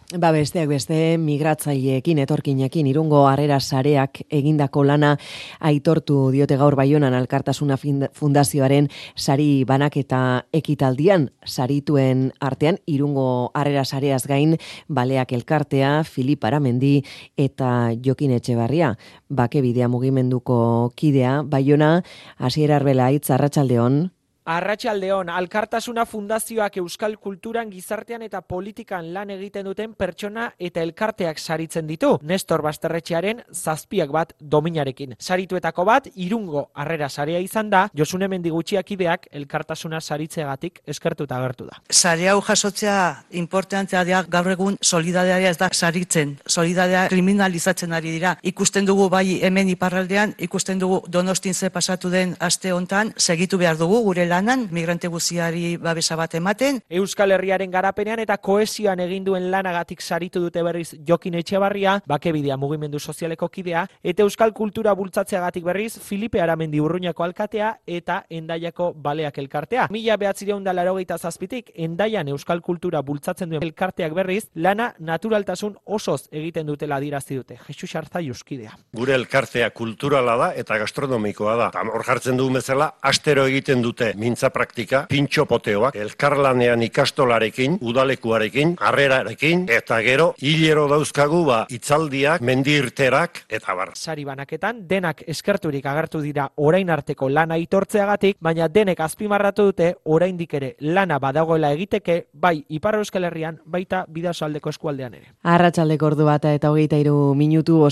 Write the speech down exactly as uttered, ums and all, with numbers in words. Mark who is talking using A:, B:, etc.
A: Ba besteak beste migratzaileekin etorkinekin Irungo Harrera Sareak egindako lana aitortu diote gaur Baionan Alkartasuna Fundazioaren sari banaketa ekitaldian. Sarituen artean Irungo Harrera Sareaz gain Baleak Elkartea, Filip Aramendi eta Jokin Etxebarria. Bakebidea mugimenduko kidea Baiona. Asier Arbelaitz, arratsaldeon.
B: Arratsaldeon, Alkartasuna Fundazioak euskal kulturan, gizartean eta politikan lan egiten duten pertsona eta elkarteak saritzen ditu. Nestor Basterretxearen zazpiak bat dominarekin. Sarituetako bat, Irungo Harrera Sarea izan da, Josune Mendigutxiakideak Elkartasuna saritzeagatik eskertuta agertu da.
C: Sare hau jasotzea importantea da, gaur egun solidaridadea ez da saritzen. Solidaridadea kriminalizatzen ari dira. Ikusten dugu bai hemen iparraldean, ikusten dugu Donostin ze pasatu den aste hontan, segitu behar dugu gure lan lanan, migrante guziari babesa bat ematen.
B: Euskal Herriaren garapenean eta kohesioan egin duen lanagatik saritu dute berriz Jokin Etxebarria, Bakebidea mugimendu sozialeko kidea, eta euskal kultura bultzatzeagatik berriz Filipe Aramendi Urruñako alkatea eta Hendaiako Baleak Elkartea. Mila bederatziehun eta laurogeita zazpitik Hendaian euskal kultura bultzatzen duen elkarteak berriz lana naturaltasun osoz egiten dutela adierazi dute. Jesus Arzaiuz kidea.
D: Gure elkartea kulturala da eta gastronomikoa da. Hor jartzen dugun bezala astero egiten dute mintza praktika, pintxo poteoak, elkarlanean ikastolarekin, udalekuarekin, harrerarekin, eta gero hilero dauzkagu ba hitzaldiak, mendirterak eta bar.
B: Sari banaketan denak eskerturik agertu dira orain arteko lana aitortzeagatik, baina denek azpimarratu dute oraindik ere lana badagoela egiteke, bai Ipar Euskal Herrian, baita Bidasoaldeko eskualdean ere.
A: Arratsaldeko ordu bata eta hogeita hiru minutu.